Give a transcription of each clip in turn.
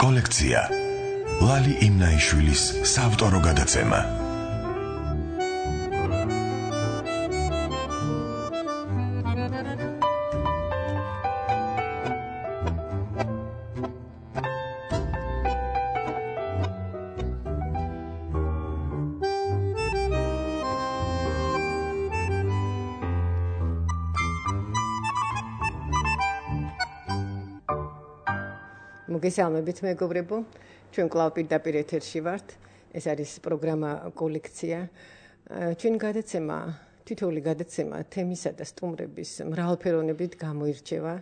კოლექცია ლალი იმნაიშვილის საავტორო გადაცემა. მოგესალმებით მეგობრებო, ჩვენ კვლავ პირდაპირ ეთერში ვართ. ეს არის პროგრამა კოლექცია. ჩვენი გადაცემა, თითოეული გადაცემა თემისა და სტუმრების მრავალფეროვნებით გამოირჩევა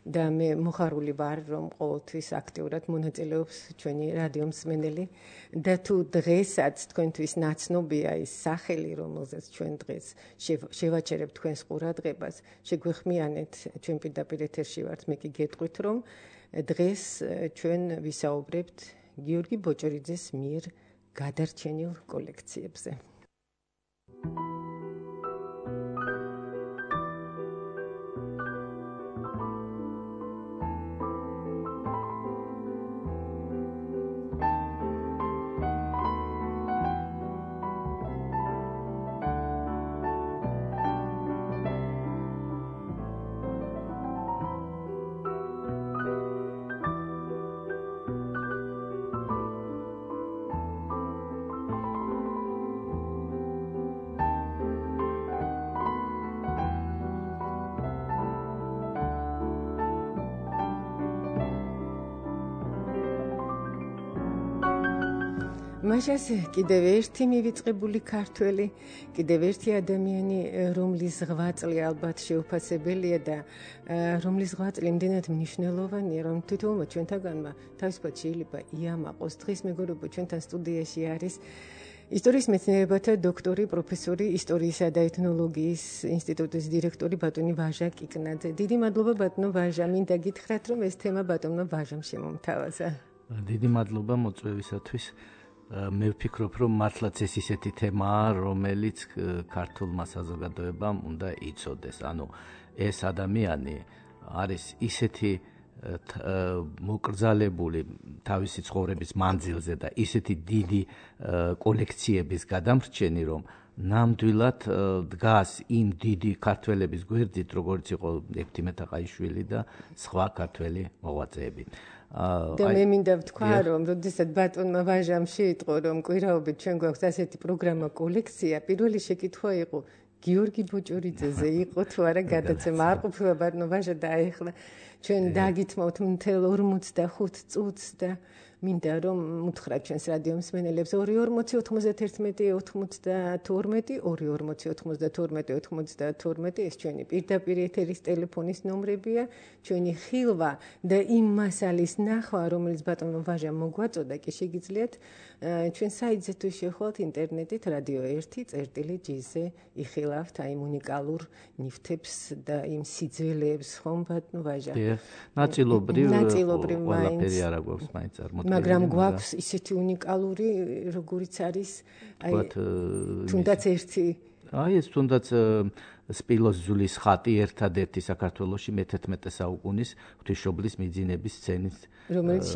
და მე მოხარული ვარ, რომ ყოველთვის აქტიურად მონაწილეობს ჩვენი რადიო მსმენელი და თუ დღესაც თქვენთვის ნაცნობია ის სახელი, რომელზეც ჩვენ დღეს შევაჩერებთ თქვენს ყურადღებას, შეგვეხმიანეთ, ჩვენ პირდაპირ ეთერში ვართ, მე კი გეტყვით, რომ დღეს ჩვენ ვისაუბრებთ გიორგი ბოჭორიძეს მიერ გადარჩენილ კოლექციებზე. მაშას კიდევ ერთი მივიწყებული ქართველი, კიდევ ერთი ადამიანი, რომლის ღვაწლი ალბათ შეუფასებელია და რომლის ღვაწლი იმდენად მნიშვნელოვანია, რომ თითოეულმა ჩვენთაგანმა თავისუფლად შეიძლება იამაყოს. დღეს მეგობრებო, ჩვენთან სტუდიაში არის ისტორიის მეცნიერებათა დოქტორი, პროფესორი, ისტორიისა და ეთნოლოგიის ინსტიტუტის დირექტორი ბატონი ვაჟა კიკნაძე. დიდი მადლობა ბატონო ვაჟა, მინდა გითხრათ, რომ ეს თემა ბატონმა ვაჟამ შემომთავაზა. დიდი მადლობა მოწვევისათვის. მე ვფიქრობ, რომ მართლაც ეს ისეთი თემაა, რომელიც ქართულმა საზოგადოებამ უნდა იცოდეს. ანუ ეს ადამიანი არის ისეთი მოკრძალებული თავისი ცხოვრების მანძილზე და ისეთი დიდი კოლექციების გადამრჩენი, რომ ნამდვილად დგას იმ დიდი ქართველების გვერდით, როგორც იყო ექვთიმე თაყაიშვილი და სხვა ქართველი მოღვაწეები. და მე მინდა ვთქვა, რომ როდესაც ბატონმა ვაჟამ შეიტყო, რომ კვირაობით ჩვენ გვაქვს ასეთი პროგრამა კოლექცია, პირველი შეკითხვა იყო გიორგი ბოჭორიძეზე იყო თუ არა გადაცემა. არ ყოფილა ბატონო ვაჟა და ახლა ჩვენ დაგითმოთ მთელ 45 წუთს და მინდა რომ უთხრათ ჩვენს რადიო მსმენელებს 240-92-92 ეს ჩვენი პირდაპირ ეთერის ტელეფონის ნომრებია, ჩვენი ხილვა და იმ მასალის ნახვა, რომელიც ბატონმა ვაჟამ მოგვაწოდა, კი შეგიძლიათ ჩვენ საიტზე თუ შეხვალთ ინტერნეტით რადიო 1.gz-ზე იხილავთ აი უნიკალურ ნივთებს და იმ სიძველეებს, ხომ ბატონო ვაჟა? ნაწილობრივ მაინც არა გვაქვს მაინც წარმოდგენილი. მაგრამ გვაქვს ისეთი უნიკალური, როგორიც არის აი თუნდაც ერთი ეს თუნდაც სპილოს ზულის ხატი ერთადერთი საქართველოში მე-11 საუკუნის ღვთისმშობლის მიძინების სცენის, რომელიც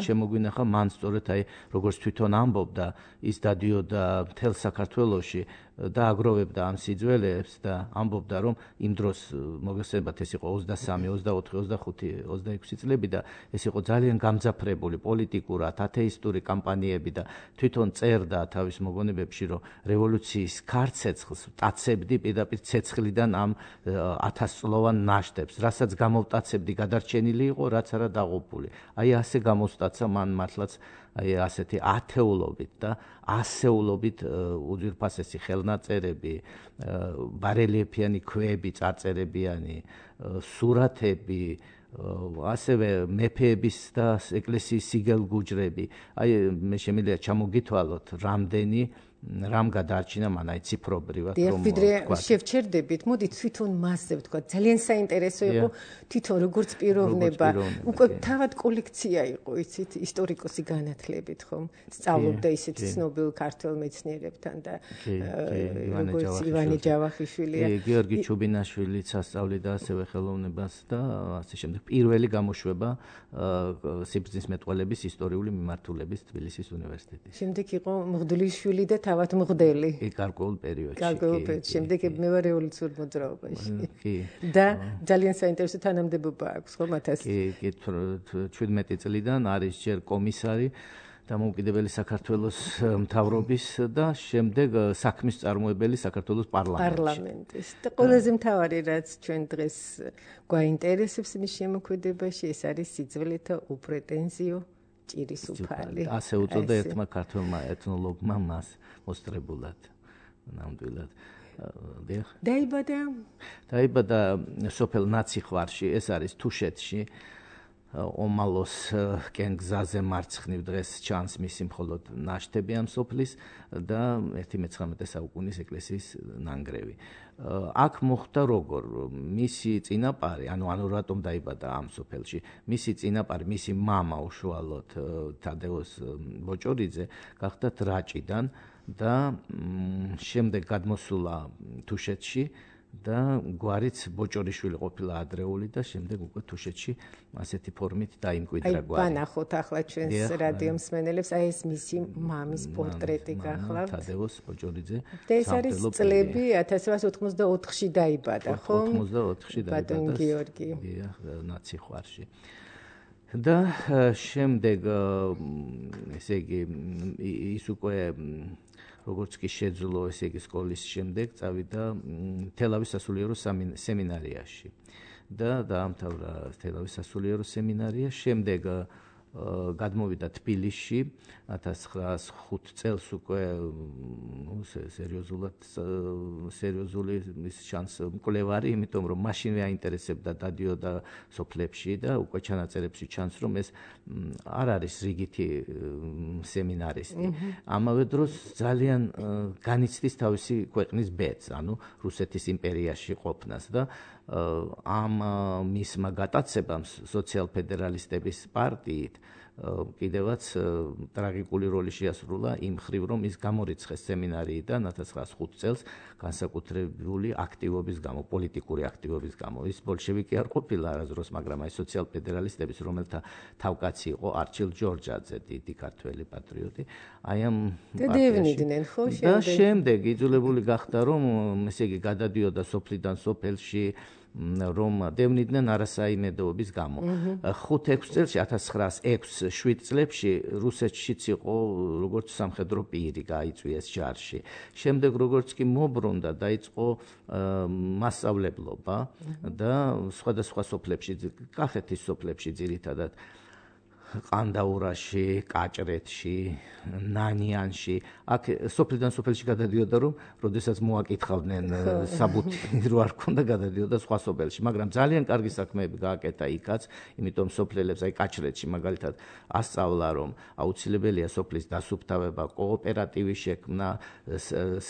შემოგვინახა მან სწორედ აი როგორც თვითონ ამბობდა, ის დადიოდა მთელ საქართველოში და აგროვებდა ამ სიძველეებს და ამბობდა, რომ იმ დროს მოგესწრებათ ეს იყო 23, 24, 25, 26 წლები და ეს იყო ძალიან გამძაფრებული პოლიტიკურად, ათეისტური კამპანიები და თვითონ წერდა თავის მოგონებებში, რომ რევოლუციის ქარცეცხლს ვტაცებდი პირდაპირ ცეცხლიდან ამ 1000 წლოვან ნაშთებს, რასაც გამოვტაცებდი გადარჩენილი იყო, რაც არა დაღუპული. აი ასე გამოსტაცა მან მართლაც აი ასეთი ათეულობით და ასეულობით უძვირფასესი ხელნაწერები, ბარელიეფიანი ქვები, წარწერებიანი სურათები, ასევე მეფეების და ეკლესიის სიგელგუჯრები. აი მე შემიძლია ჩამოგითვალოთ რამდენი რამ გადაარჩინა მან აი ციფრობრივად რომ ვთქვა. შევჩერდებით, მოდი თვითონ მასზე ვთქვა. ძალიან საინტერესო იყო თვითონ როგორც პიროვნება. უკვე თავად კოლექცია იყო, იცით, ისტორიკოსი განათლებით ხომ. სწავლობდა ისეთ ცნობილ ქართველ მეცნიერებთან და როგორც ივანე ჯავახიშვილია. გიორგი ჩუბინაშვილიც ასწავლიდა ასევე ხელოვნებას და ასე შემდეგ. პირველი გამოშვება სიბრძნის მეტყველების ისტორიული მიმართულების თბილისის უნივერსიტეტის. შემდეგ იყო მღვდლიშვილი და თავად მღვდელი. გარკვეულ პერიოდში. გარკვეულ პერიოდში. შემდეგ მე ვარ რევოლუციურ მოძრაობაში. და ძალიან საინტერესო თანამდებობა აქვს ხო მათას? კი, 17 წლიდან არის ჯერ კომისარი დამოუკიდებელი საქართველოს მთავრობის და შემდეგ საქმის წარმოებელი საქართველოს პარლამენტის. და ყველაზე მთავარი რაც ჩვენ დღეს გვაინტერესებს მის შემოქმედებაში ეს არის სიძველეთა უპრეტენზიო ჭირის უფალი. ასე უწოდა ერთმა ქართველმა ეთნოლოგმა მას მოსწრებულად. ნამდვილად. დაიბადა სოფელ ნაციხვარში, ეს არის თუშეთში. ომალოს კენგზაზე მარცხნივ დღეს ჩანს მისი მხოლოდ ნაშთები ამ სოფლის და 19 საუკუნის ეკლესიის ნანგრევი. აქ მოხდა როგორ მისი წინაპარი, ანუ რატომ დაიბადა ამ სოფელში, მისი წინაპარი, მისი მამა უშუალოდ თადეოს ბოჭორიძე გახდათ რაჭიდან და შემდეგ გადმოსულა თუშეთში და გვარიც ბოჭორიშვილი ყოფილა ადრეული და შემდეგ უკვე თუშეთში ასეთი ფორმით დაიმკვიდრა გვარი. აი ბანახოთ ახლა ჩვენს რადიო მსმენელებს, აი ეს მისი მამის პორტრეტი გახლავთ. თადეოს ბოჭორიძე. და ეს არის წლები 1884-ში დაიბადა, ხო? 84-ში დაიბადა. ბატონ გიორგი. დიახ, ნაციხვარში. და შემდეგ ესე იგი ის უკვე როგორც კი შეძლო ესე იგი სკოლის შემდეგ წავიდა თელავის სასულიერო სემინარიაში და დაამთავრა თელავის სასულიერო სემინარია. შემდეგ გადმოვიდა თბილისში 1905 წელს უკვე სერიოზული ის შანს მკვლევარი, იმიტომ რომ მაშინვე აინტერესებდა დადიოდა სოფლებში და უკვე ჩანაწერებში ჩანს რომ ეს არ არის რიგითი სემინარისტი. ამავე დროს ძალიან განიცდის თავისი ქვეყნის ბედს, ანუ რუსეთის იმპერიაში ყოფნას და ამ მისმა გატაცებამ სოციალ-ფედერალისტების პარტიით კიდევაც ტრაგიკული როლი შეასრულა იმ მხრივ, რომ ის გამორიცხეს სემინარიიდან 1905 წელს განსაკუთრებული აქტივობის გამო, პოლიტიკური აქტივობის გამო. ის ბოლშევიკი არ ყოფილა არასდროს, მაგრამ აი სოციალ-ფედერალისტების, რომელთა თავკაცი იყო არჩილ ჯორჯაძე, დიდი ქართველი პატრიოტი, აი ამ დევნიდნენ ხო და შემდეგ იძულებული გახდა, რომ ესე იგი გადადიოდა სოფლიდან სოფელში, რომ დევნიდნენ არასაიმედოობის გამო. 5-6 წელში 1906-7 წლებში რუსეთშიც იყო როგორც სამხედრო პირი გაიწვიეს ჯარში. შემდეგ როგორც კი მობრუნდა, დაიწყო მასწავლებლობა და სხვადასხვა სოფლებში, კახეთის სოფლებში ძირითადად ყანდაურაში, კაჭრეთში, ნანიანში, აქ სოფლიდან სოფელში გადადიოდა, რომ როდესაც მოაკითხავდნენ საბუთი რო არ ქონდა, გადადიოდა სხვა სოფელში, მაგრამ ძალიან კარგი საქმეები გააკეთა იქაც, იმიტომ სოფლელებს, აი კაჭრეთში მაგალითად ასწავლა, რომ აუცილებელია სოფლის დასუფთავება, კოოპერატივი შექმნა,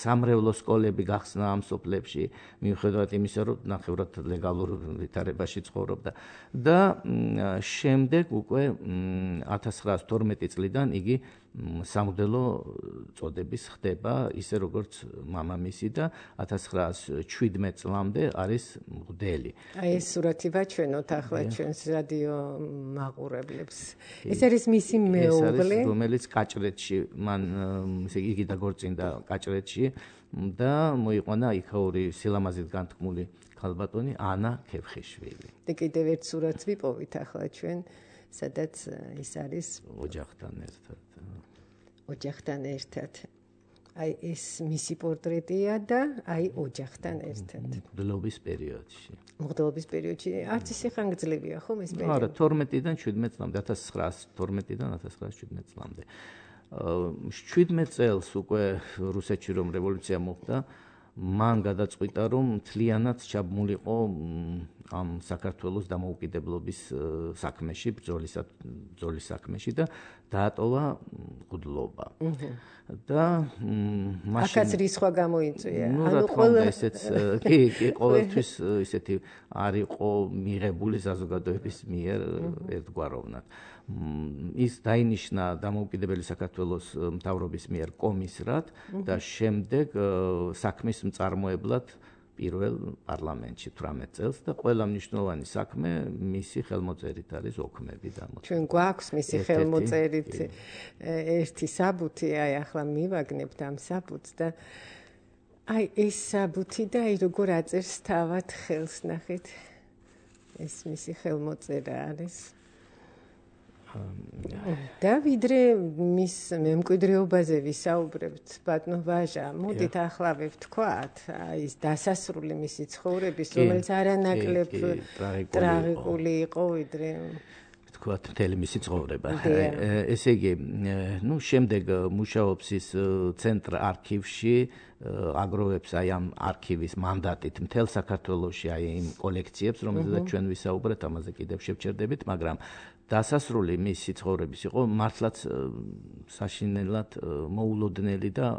სამრევლო სკოლები გახსნა ამ სოფლებში, მიუხედავად იმისა, რომ ნახევრად ლეგალურ ვითარებაში ცხოვრობდა და შემდეგ უკვე 1912 წლიდან იგი სამღვდელო წოდების ხდება, ისე როგორც მამამისი და 1917 წლამდე არის მღვდელი. აი ეს სურათი ვაჩვენოთ ახლა ჩვენს რადიო მაყურებლებს. ეს არის მისი მეუღლე, რომელიც კაჭრეთში, მან იგი დაგორწინდა კაჭრეთში და მოიყვანა იქაური სილამაზით განთქმული ქალბატონი ანა ქეფხიშვილი. და კიდევ ერთ სურათს ვიპოვით ახლა ჩვენ, სადაც ის არის ოჯახთან ერთად. აი ეს მისი პორტრეტია და აი ოჯახთან ერთად. მღვდლობის პერიოდში. მღვდლობის პერიოდში არც ისე ხანგრძლივია ხომ ეს პერიოდი? არა, 12-დან 17 წლამდე, 1912-დან 1917 წლამდე. 17 წელს უკვე რუსეთში რომ რევოლუცია მოხდა, მან გადაწყვიტა, რომ მთლიანად ჩაბმულიყო ამ საქართველოს დამოუკიდებლობის საქმეში, ბრძოლის საქმეში და დაატოვა მღვდლობა. და მაშინ აქაც რისხვა გამოიწვია. ანუ ყველა ესეც კი ყოველთვის ისეთი არ იყო მიღებული საზოგადოების მიერ ერთგვაროვნად. ის დაინიშნა დამოუკიდებელი საქართველოს მთავრობის მიერ კომისრად და შემდეგ საქმის მწარმოებლად პირველ პარლამენტში 18 წელს და ყველა მნიშვნელოვანი საქმე მისი ხელმოწერით არის ოქმები დამოწმებული. ჩვენ გვაქვს მისი ხელმოწერით ერთი საბუთი, აი ახლა მივაგნებთ ამ საბუთს და აი ეს საბუთი და აი როგორ აწერს თავად ხელს ნახეთ. ეს მისი ხელმოწერა არის. და ვიდრე მის მემკვიდრეობაზე ვისაუბრებთ, ბატონო ვაჟა, მოდით ახლა ვთქვათ, აი ეს დასასრული მისი ცხოვრების, რომელიც არანაკლებ ტრაგიკული იყო, ვიდრე ვთქვათ, მთელი მისი ცხოვრება. ესე იგი, ნუ შემდეგ მუშაობს ის ცენტრ არქივში, აგროვებს აი ამ არქივის მანდატით მთელ საქართველოში აი იმ კოლექციებს, რომელზეც ჩვენ ვისაუბრეთ, ამაზე კიდევ შევჩერდებით, მაგრამ დასასრული მისი ცხოვრების იყო მართლაც საშინელად მოულოდნელი და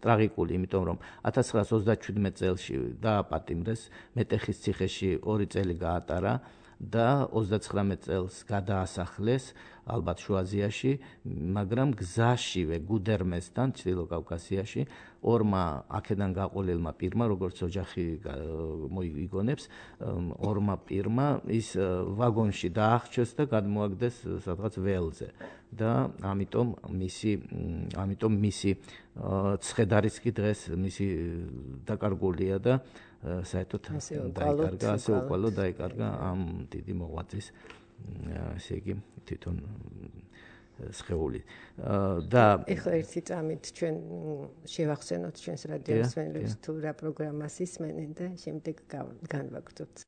ტრაგიკული, იმიტომ რომ 1937 წელს დააპატიმრეს, მეტეხის ციხეში 2 წელი გაატარა და 39 წელს გადაასახლეს ალბათ შუა აზიაში, მაგრამ გზაშივე გუდერმესთან ჩრდილო კავკასიაში ორმა აქედან გაყოლილმა პირმა, როგორც ოჯახი მოიგონებს, ორმა პირმა ის ვაგონში დაახჩეს და გადმოაგდეს სადღაც ველზე და ამიტომ მისი ცხედარიც კი დღეს მისი დაკარგულია და საერთოდ დაიკარგა, ასე უყვალო დაიკარგა ამ დიდი მოღვაწის ესე იგი თვითონ სხეული და ეხლა ერთი წამით ჩვენ შევახსენოთ ჩვენს რადიოს მსმენელებს თუ რა პროგრამას ისმენენ და შემდეგ განვაგრძობთ.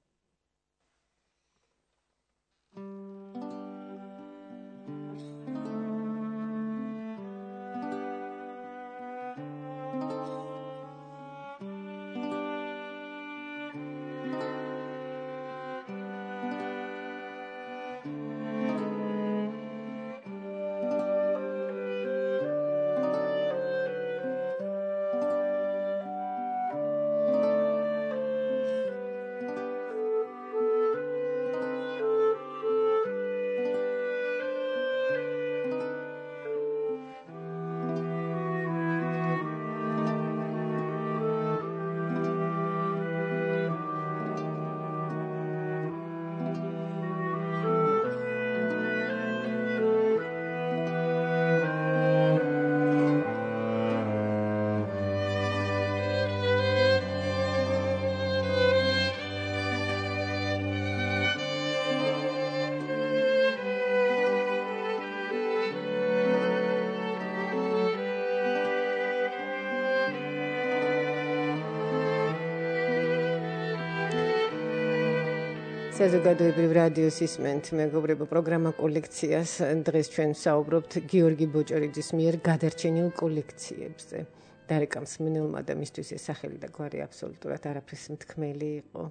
საზოგადოებრივ რადიოს ისმენთ მეგობრებო პროგრამა კოლექციას. დღეს ჩვენ ვსაუბრობთ გიორგი ბოჭორიძის მიერ გადარჩენილ კოლექციებზე. დარეკა მსმენელმა და მისთვის ეს სახელი და გვარი აბსოლუტურად არაფრის მთქმელი იყო.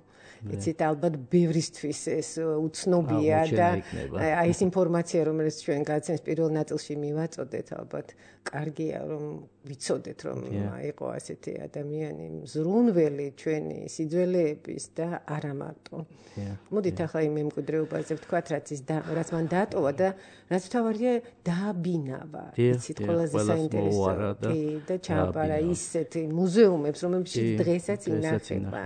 იცით, ალბათ ბევრისთვის ეს უცნობია და აი ეს ინფორმაცია, რომელიც ჩვენ გაცემს პირველ ნაწილში მივაწოდეთ, ალბათ კარგია რომ ვიცოდეთ, რომ იყო ასეთი ადამიანი მზრუნველი ჩვენი სიძველეების და არა მარტო. მოდით ახლა იმ მემკვიდრეობაზე ვთქვათ, რაც მან დაატოვა და რაც თავარია დააბინავა. იცით, ყველაზე საინტერესო და ჩააბარა ისეთ მუზეუმებს, რომელშიც დღესაც ინახება.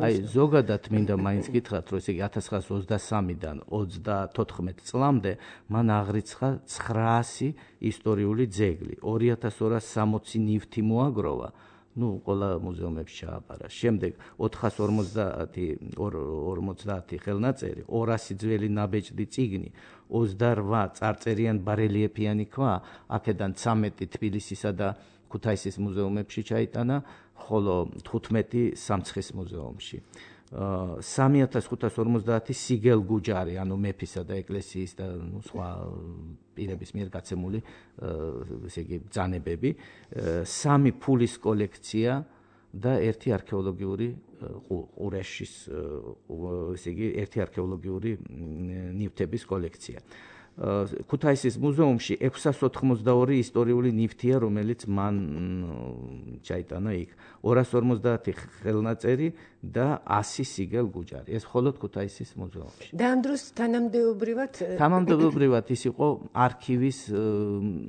აი ზოგადად მინდა მაინც გითხრათ, რომ ესე იგი 1923-დან 34 წლამდე მან აღრიცხა 900 ისტორიული ძეგლი, 2260 ნივთი მოაგროვა. ნუ ყველა მუზეუმებში ჩააბარა. შემდეგ 450 ხელნაწერი, 200 ძველი ნაბეჭდი წიგნი, 28 წარწერიან ბარელიეფიანი ქვა, აქედან 13 თბილისისა და ქუთაისის მუზეუმებში ჩაიტანა, ხოლო 15 სამცხის მუზეუმში. 3550 სიგელ გუჯარი, ანუ მეფისა და ეკლესიის და სხვა პირების მიერ გაცემული ესე იგი ბრძანებები, 3 ფულის კოლექცია, და ერთი არქეოლოგიური ყურეშის ესე იგი ერთი არქეოლოგიური ნივთების კოლექცია. ქუთაისის მუზეუმში 682 ისტორიული ნივთია, რომელიც მან ჩაიტანა იქ. 250 ხელნაწერი და 100 სიგელ გუჯარი. ეს მხოლოდ ქუთაისის მუზეუმში. და ამ დროს თანამდებობრივად ის იყო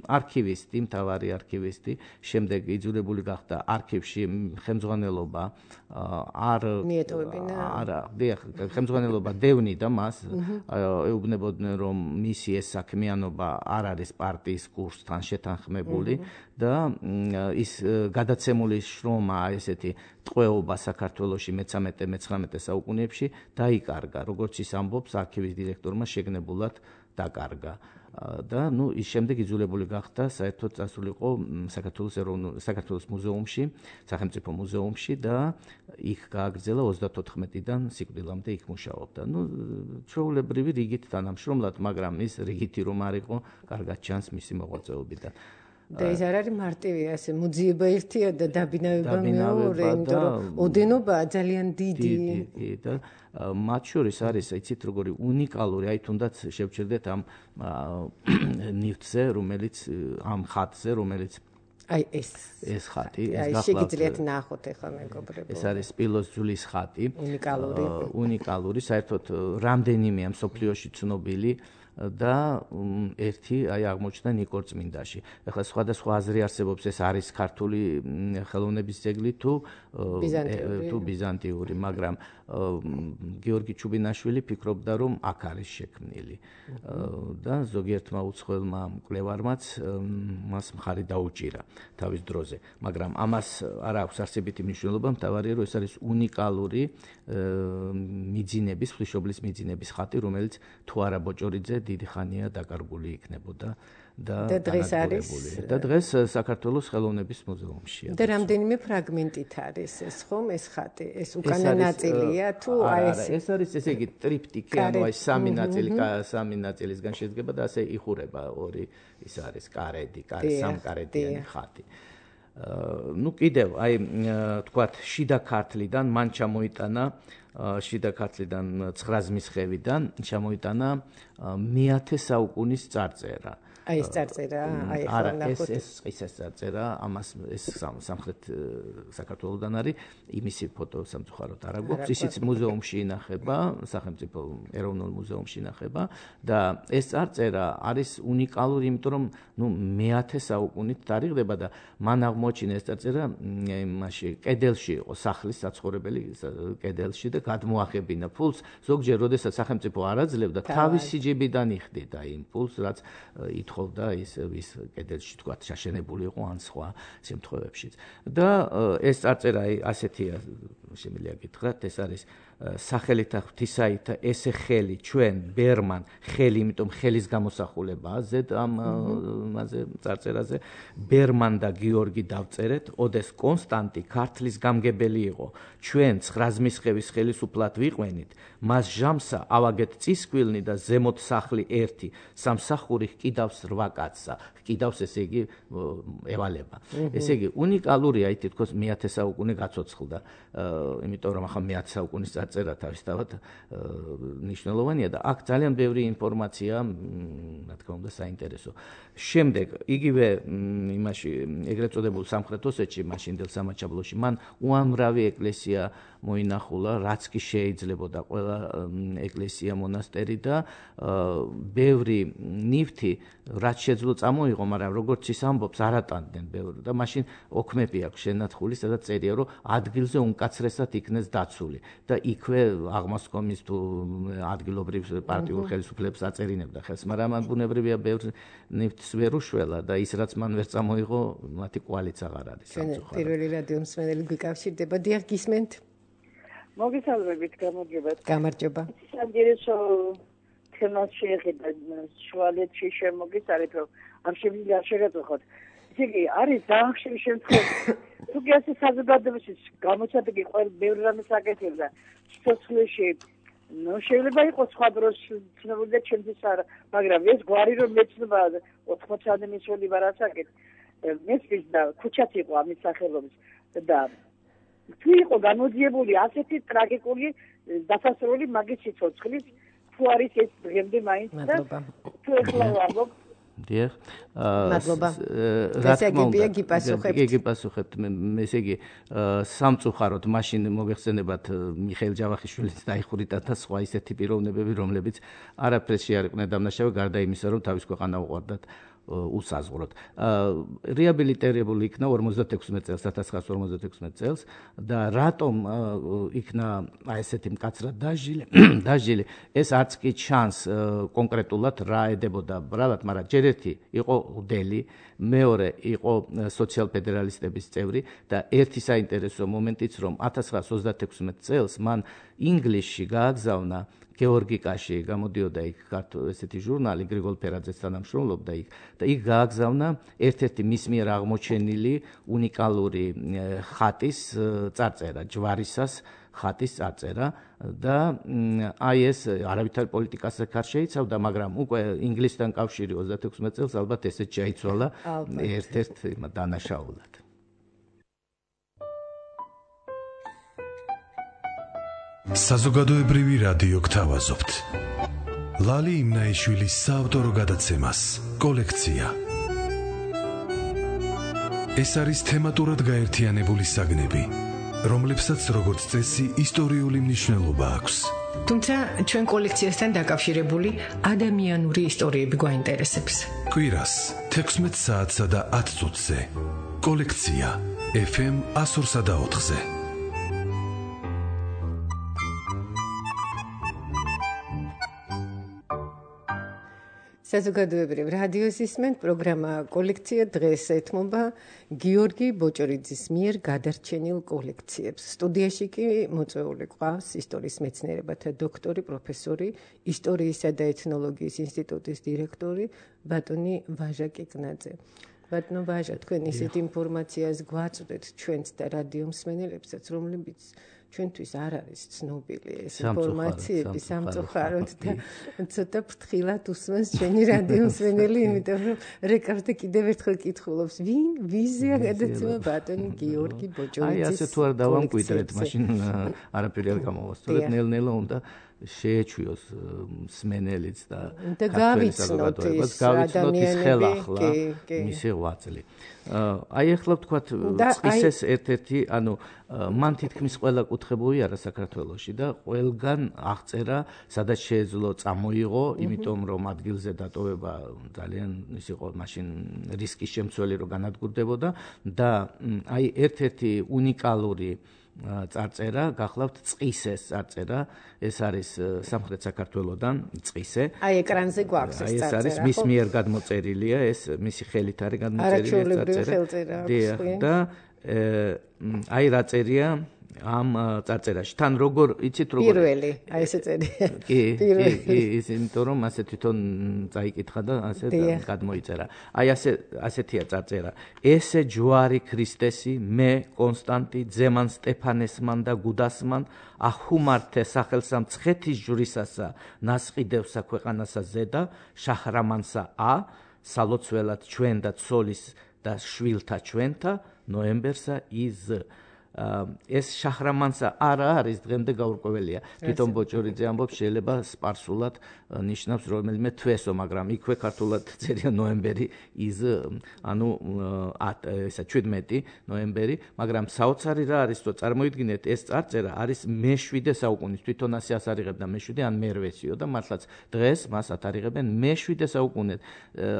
არქივისტი, მთავარი არქივისტი, შემდეგ იძულებული გახდა არქივში ხელმძღვანელობა ხელმძღვანელობა დევნიდა მას, ეუბნებოდნენ რომ მისი ეს საქმიანობა არ არის პარტიის კურსთან შეთანხმებული და ის გადაცემული შრომა ესეთი ტყვეობა საქართველოში მე-13-მე-19 საუკუნეებში დაიკარგა, როგორც ის ამბობს, არქივის დირექტორმა შეგნებულად დაკარგა. და ის შემდეგ იძულებული გახდა საერთოდ წასულიყო საქართველოს მუზეუმში, სახელმწიფო მუზეუმში და იქ გააგრძელა 34-დან სიკვდილამდე იქ მუშაობდა. ჩვეულებრივი რიგით თანამშრომლად, მაგრამ ის რიგითი რომ არ იყო, კარგად ჩანს მისი მოღვაწეობიდან. და ეს არ არის მარტივი ასე მოძიება ერთია და დაბინავება მეორე, იმიტომ რომ ოდენობაა ძალიან დიდი. და მათ შორის არის, იცით, როგორი უნიკალური, აი თუნდაც შევჩერდეთ ამ ნივთზე, რომელიც ამ ხატზე, რომელიც აი ეს ხატი, ეს შეგიძლიათ ნახოთ ახლა მეგობრებო. ეს არის სპილოს ძვლის ხატი. უნიკალური, საერთოდ რამდენიმეა მსოფლიოში ცნობილი და ერთი აი აღმოჩნდა ნიკორწმინდაში. ეხლა სხვადასხვა აზრი არსებობს, ეს არის ქართული ხელოვნების ძეგლი თუ ბიზანტიური, მაგრამ გიორგი ჩუბინაშვილი ფიქრობდა, რომ აქ არის შექმნილი. და ზოგიერთმა უცხოელმა მკვლევარმაც მას მხარი დაუჭირა თავის დროზე, მაგრამ ამას არ აქვს არსებითი მნიშვნელობა, მთავარია რომ ეს არის უნიკალური მიძინების, ღვთისმშობლის მიძინების ხატი, რომელიც თუ არა ბოჭორიძე დიდი ხანია დაკარგული იქნებოდა და დღეს არის და დღეს საქართველოს ხელოვნების მუზეუმშია. და რამდენიმე ფრაგმენტით არის ეს ხომ ეს ხატი, ეს უკანა ნაწილია თუ აი ეს არის ესე იგი ტრიპტიკი, ანუ აი სამი ნაწილისგან შედგება და ასე იხურება ორი ის არის კარედი, სამკარედიანი ხატი. კიდევ აი თქვათ შიდა ქართლიდან მან ჩამოიტანა შიდა ქართლიდან 9 ზმისხევიდან ჩამოიტანა მე-10 საუკუნის წარწერა. აი ეს წარწერა, აი ახლა ნახოთ. ეს ყისეს წარწერა, ამას ეს სამხრეთ საქართველოსდან არის, იმისი ფოტო სამწუხაროდ არ აქვს. ისიც მუზეუმში ინახება, სახელმწიფო ეროვნულ მუზეუმში ინახება და ეს წარწერა არის უნიკალური, იმიტომ რომ მე-10 საუკუნით თარიღდება და მან აღმოაჩინა ეს წარწერა იმაში კედელში იყო, სახლის საცხოვრებელი კედელში და გადმოახებინა ფულს. ზოგჯერ როდესაც სახელმწიფო არ აძლევდა, თავისი ჯიბიდან იხდიდა იმ ფულს, რაც ითხოვდა ის კედელში თქვა შაშენებული იყო ან სხვა შემთხვევებშიც. და ეს წარწერა ასეთია, შემიძლია გითხრათ, ეს არის სახელითა ღვთისაითა ესე ხელი ჩვენ ბერმან ხელი, იმიტომ ხელის გამოსახულებაა ზედ ამაზე წარწერაზე. ბერმან და გიორგი დავწერეთ, ოდეს კონსტანტი ქართლის გამგებელი იყო, ჩვენ 9 ზმისხევის ხელისუფლად ვიყვენით, მას ჟამსა ავაგეთ წისქვილნი და ზემოთ სახლი ერთი, სამსახური ჰკიდავს 8 კაცსა. ჰკიდავს, ესე იგი ევალება. ესე იგი უნიკალურია, აი თითქოს მე-10 საუკუნე გაცოცხლდა, იმიტომ რომ ახლა მე-10 საუკუნის წერა თავისთავად მნიშვნელოვანია და აქ ძალიან ბევრი ინფორმაცია, რა თქმა უნდა, საინტერესო. შემდეგ იგივე იმაში ეგრეთ წოდებულ სამხრეთ ოსეთში, მაშინდელ სამაჩაბლოში, მან უამრავი ეკლესია მოინახულა, რაც კი შეიძლებოდა, ყველა ეკლესია, მონასტერი და ბევრი ნივთი, რაც შეძლო წამოიღო, მაგრამ როგორც ის ამბობს, არ ატანდნენ ბევრი და მაშინ ოქმები აქვს შენათხული, სადაც წერია, რომ ადგილზე უმკაცრესად იქნეს დაცული და იქვე აღმასკომის თუ ადგილობრივ პარტიულ ხელისუფლებს აწერინებდა ხელს, მაგრამ ამ ბუნებრივია ბევრ ნივთს ვერ უშველა და ის რაც მან ვერ წამოიღო, მათი კვალიც აღარ არის სამწუხაროდ. პირველი რადიო მსმენელი გვიკავშირდება, დიახ, გისმენთ? მოგესალმებით, გამარჯობა. საინტერესო თემას შეეხება შუალედში შემოგიცარეთ, რომ ამ შემიძლია შეგაწუხოთ. ისე იგი არის დაახშების შემთხვევაში, თუ კი ასე საზოგადოებაში გამოცადეგი ყველა ბევრი რამე საკეთებდა სიცოცხლეში, შეიძლება იყოს სხვა დროს ცნობილი და ჩემთვის არა, მაგრამ ეს გვარი რომ მეცნობა 80-ამდე მისული ვარ ასაკეთ, მესმის და ქუჩაც იყო ამის სახელობის და თუ იყო გამოძიებული ასეთი ტრაგიკული დასასრული მაგის სიცოცხლის თუ არის ეს დღემდე მაინც და თუ ეხლა ვამბობ დიახ მადლობა რა თქმა უნდა გიპასუხებთ მე ესე იგი სამწუხაროდ მაშინ მოგეხსენებათ მიხეილ ჯავახიშვილის დაიხურიტა და სხვა ისეთი პიროვნებები რომლებიც არაფერს შეარიყვნენ დამნაშავე გარდა იმისა რომ თავის ქვეყანა უყვარდათ უსაზღვროდ. რეაბილიტირებული იქნა 56 წელს 1956 წელს და რატომ იქნა ესეთი მკაცრად დაჟილი ეს არც კი ჩანს კონკრეტულად რა ედებოდა ბრალად, მაგრამ ჯერ ერთი იყო უდელი, მეორე იყო სოციალ-ფედერალისტების წევრი და ერთი საინტერესო მომენტიც რომ 1936 წელს მან ინგლისში გააგზავნა გეორგიკაში გამოდიოდა იქ ესეთი ჟურნალი გრიგოლ ფერაძეც თანამშრომლობდა იქ და იქ გააგზავნა ერთ-ერთი მის მიერ აღმოჩენილი უნიკალური ხატის წარწერა, ჯვარისას ხატის წარწერა და აი ეს არავითარ პოლიტიკასაც არ შეიცავდა, მაგრამ უკვე ინგლისთან კავშირი 36 წელს ალბათ ესეც შეიცვალა ერთ-ერთ დანაშაულად. საზოგადოებრივი რადიო გთავაზობთ. ლალი იმნაიშვილის საავტორო გადაცემას კოლექცია. ეს არის თემატურად გაერთიანებული საგნები, რომლებსაც როგორც წესი ისტორიული მნიშვნელობა აქვს. თუმცა ჩვენ კოლექციასთან დაკავშირებული ადამიანური ისტორიები გვაინტერესებს. კვირას 16 საათსა და 10 წუთზე. კოლექცია FM 102.4-ზე. საზოგადოებრივ რადიოს ისმენთ პროგრამა კოლექცია დღეს ეთმობა გიორგი ბოჭორიძის მიერ გადარჩენილ კოლექციებს. სტუდიაში კი მოწვეული ყავს ისტორიის მეცნიერებათა დოქტორი, პროფესორი, ისტორიისა და ეთნოლოგიის ინსტიტუტის დირექტორი ბატონი ვაჟა კიკნაძე. ბატონო ვაჟა, თქვენ ისეთ ინფორმაციას გვაწვდეთ ჩვენც და რადიო მსმენელებსაც, რომლებიც ჩვენთვის არ არის ცნობილი ეს ინფორმაციები სამწუხაროდ და ცოტა ფრთხილად უსმენს ჩვენი რადიო მსმენელი, იმიტომ რომ რეკორდზე კიდევ ერთხელ კითხულობს, ვიზია გადაცემა ბატონი გიორგი ბოჭორიძის. აი ასე თუ არ დავამკვიდრეთ, მაშინ არაფერი არ გამოვასწორეთ, ნელ-ნელა უნდა შეეჩვიოს მსმენელიც და გავიცნოთ ის ხელახლა მისი ღვაწლი. აი ახლა ვთქვათ წისეს ერთ-ერთი, ანუ მან თითქმის ყველა კუთხე არა საქართველოში და ყველგან აღწერა, სადაც შეეძლო წამოიღო, იმიტომ რომ ადგილზე დატოვება ძალიან ის იყო მაშინ რისკის შემცველი რო განადგურდებოდა და აი ერთ-ერთი უნიკალური წარწერა გახლავთ წისეს წარწერა, ეს არის სამხრეთ საქართველოსდან წისე. აი ეკრანზე გვაქვს ეს წარწერა. ეს არის მის მიერ გადმოწერილია, ეს მისი ხელით არის გადმოწერილი წარწერა. და აი რა წერია ამ წარწერაში. თან როგორ იცით როგორ პირველი, აი ესე წერია. კი, ის იმიტომ რომ ასე თვითონ წაიკითხა და ასე გადმოიწერა. აი ასეთია წარწერა. ესე ჯვარი ქრისტესი, მე კონსტანტი ძემან სტეფანესმან და გუდასმან ახუმართე სახელსა მცხეთის ჯვრისასა ნასყიდევსა ქვეყანასა ზედა შაჰრამანსა სალოცველად ჩვენ და ცოლის და შვილთა ჩვენთა ნოემბერსა ის ეს შაჰრამანსა არა არის დღემდე გაურკვეველია. თვითონ ბოჭორიძე ამბობს, შეიძლება სპარსულად ნიშნავს რომელიმე თვესო, მაგრამ იქვე ქართულად წერია ნოემბერი ის, ანუ ესა 17 ნოემბერი, მაგრამ საოცარი რა არის, რომ წარმოიდგინეთ, ეს წარწერა არის მე-7 საუკუნის, თვითონ ასე ასარიღებდა მე-7 ან მე-8-იო და მართლაც დღეს მას ათარიღებენ მე-7 საუკუნეთ.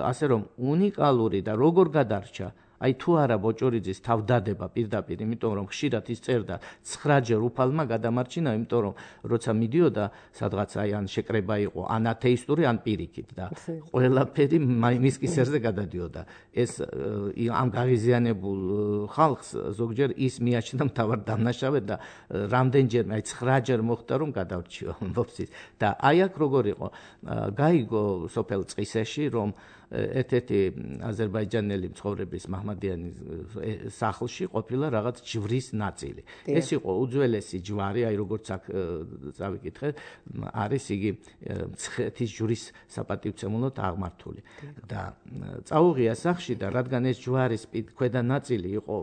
ასე რომ უნიკალური და როგორ გადარჩა აი თუ არა ბოჭორიძის თავდადება პირდაპირ, იმიტომ რომ ხშირად ის წერდა 9-ჯერ უფალმა გადამარჩინა, იმიტომ რომ როცა მიდიოდა სადღაც აი ან შეკრება იყო, ან ათეისტური, ან პირიქით და ყველაფერი მის კისერზე გადადიოდა. ეს ამ გაღიზიანებულ ხალხს ზოგჯერ ის მიაჩნდა მთავარ დამნაშავედ და რამდენჯერმე აი 9-ჯერ მოხდა რომ გადარჩიო ამბობს ის. და აი აქ როგორ იყო, გაიგო სოფელ წისეში რომ ერთ-ერთი აზერბაიჯანელი მცხოვრების მაჰმადიანის სახლში ყოფილა რაღაც ჯვრის ნაწილი. ეს იყო უძველესი ჯვარი, აი როგორც აქ წავიკითხეთ, არის იგი მცხეთის ჯვრის საპატივცემულოდ აღმართული. და წაუღია სახლში და რადგან ეს ჯვარის ქვედა ნაწილი იყო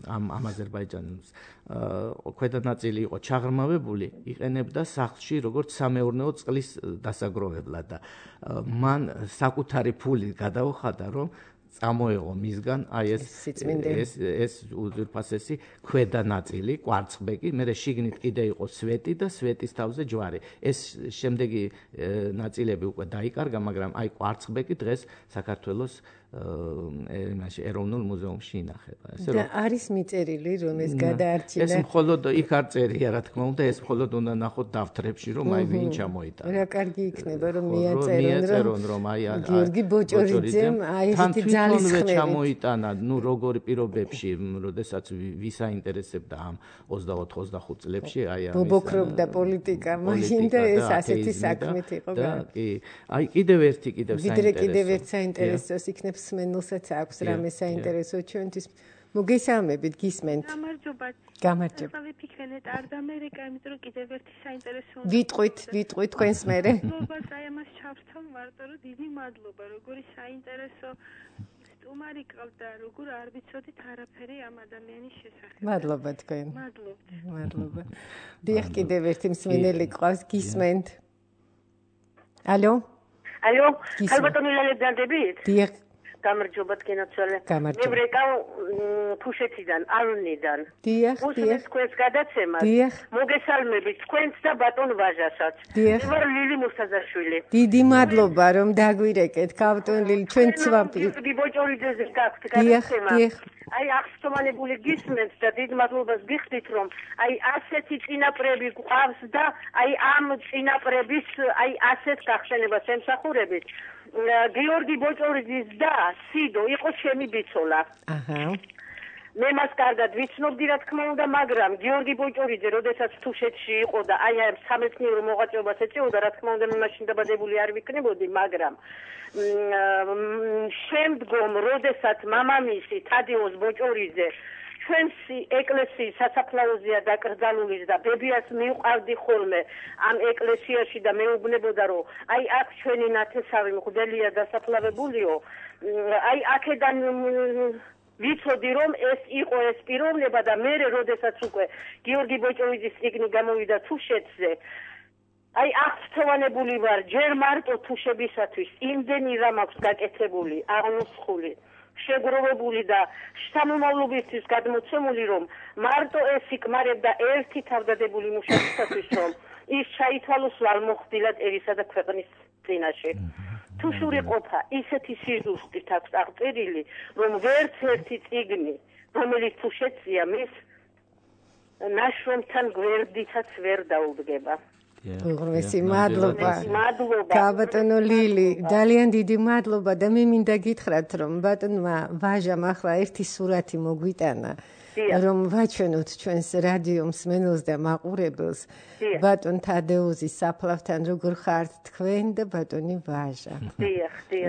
ამ აზერბაიჯანელს ქვედა ნაწილი იყო ჩაღრმავებული, იყენებდა სახლში როგორც სამეურნეო წყლის დასაგროვებლად და მან საკუთარი ფული გადაუხადა, რომ წამოეღო მისგან აი ეს უძვირფასესი ქვედა ნაწილი, კვარცხბეკი, მერე შიგნით კიდე იყო სვეტი და სვეტის თავზე ჯვარი. ეს შემდეგი ნაწილები უკვე დაიკარგა, მაგრამ აი კვარცხბეკი დღეს საქართველოს ეროვნულ მუზეუმში ინახება. და არის მიწერილი, რომ ეს გადაარჩინა. ეს მხოლოდ იქ არ წერია, რა თქმა უნდა, ეს მხოლოდ უნდა ნახოთ დაფთრებში, რომ აი ვინ ჩამოიტანა. რა კარგი იქნება, რომ მიაწერონ, რომ აი გიორგი ბოჭორიძემ აი ესეთი ძალისხმევით ჩამოიტანა, ნუ როგორი პირობებში, როდესაც ვის აინტერესებდა ამ 24-25 წლებში, აი ამის ბობოქრობდა პოლიტიკა, მაშინ და ეს ასეთი საქმით იყო. და კი, აი კიდევ ერთ საინტერესოს იქნებს სმენელსაც აქვს რამე საინტერესო ჩვენთვის. მოგესალმებით, გისმენთ. გამარჯობა. ახლა ვიფიქრენეთ არდამერიკა, იმიტომ რომ კიდევ ერთი საინტერესო. ვიტყვით თქვენს მერე. მადლობას აი ამას ჩავრთავ მარტო, რომ დიდი მადლობა, როგორი საინტერესო სტუმარი ყავდა, როგორ არ ვიცოდით არაფერი ამ ადამიანის შესახებ. მადლობა თქვენ. მადლობა. დიახ, კიდევ ერთი მსმენელი ყავს, გისმენთ. ალო? ალო, ალბათო მილალედანდებით? დიახ. გამარჯობა თქვენაცვალე. გამარჯობა. მე ვრეკავ თუშეთიდან, ალუნიდან. დიახ. უსმენთ თქვენს გადაცემას. დიახ. მოგესალმებით თქვენს და ბატონ ვაჟასაც. დიახ. ვარ ლილი მუსტაზაშვილი. დიდი მადლობა, რომ დაგვირეკეთ, ბატონ ლილი, ჩვენ ცვამპი. გიორგი ბოჭორიძეზე გაქვთ გადაცემა. დიახ. აი აღსტომანებული გისმენთ და დიდ მადლობას გიხდით, რომ აი ასეთი წინაპრები გვყავს და აი ამ წინაპრების აი ასეთ გახსენებას ემსახურებით. გიორგი ბოჭორიძის და სიდო იყო ჩემი ბიცოლა. აჰა. მე მას კარგად ვიცნობდი, რა თქმა უნდა, მაგრამ გიორგი ბოჭორიძე, როდესაც თუშეთში იყო და აი ამ სამეცნიერო მოღვაწეობას ეწეოდა, რა თქმა უნდა, მე მაშინ დაბადებული არ ვიქნებოდი, მაგრამ შემდგომ, როდესაც მამამისი თადიოს ბოჭორიძე ჩვენს ეკლესიის სასაფლაოზეა დაკრძალული და ბებიას მივყავდი ხოლმე ამ ეკლესიაში და მეუბნებოდა, რომ აი აქ ჩვენი ნათესავი მღვდელია დასაფლავებულიო, აი აქედან ვიცოდი, რომ ეს იყო ეს პიროვნება და მე როდესაც უკვე გიორგი ბოჭორიძის წიგნი გამოვიდა თუშეთზე, აი აღწევანებული ვარ ჯერ მარტო თუშებისათვის იმდენი რამ აქვს გაკეთებული, აღნუსხული, შეგროვებული და სამომავლობისთვის გადმოცემული, რომ მარტო ეს იკმარებდა ერთი თავდადებული მუშაკისათვის, რომ ის ჩაითვალოს ვალმოხდილად ერისა და ქვეყნის წინაშე. თუშური ყოფა ისეთი სიზუსტით აქვს აღწერილი, რომ ვერც ერთი წიგნი, რომელიც თუშეთზეა, მის ნაშრომთან გვერდითაც ვერ დაუდგება. უღრმესი მადლობა. ბატონო ლილი, ძალიან დიდი მადლობა და მე მინდა გითხრათ, რომ ბატონმა ვაჟამ ახლა ერთი სურათი მოგვიტანა, რომ ვაჩვენოთ ჩვენს რადიო მსმენელს და მაყურებელს ბატონ თადეუზის საფლავთან როგორ ხართ თქვენ და ბატონი ვაჟა.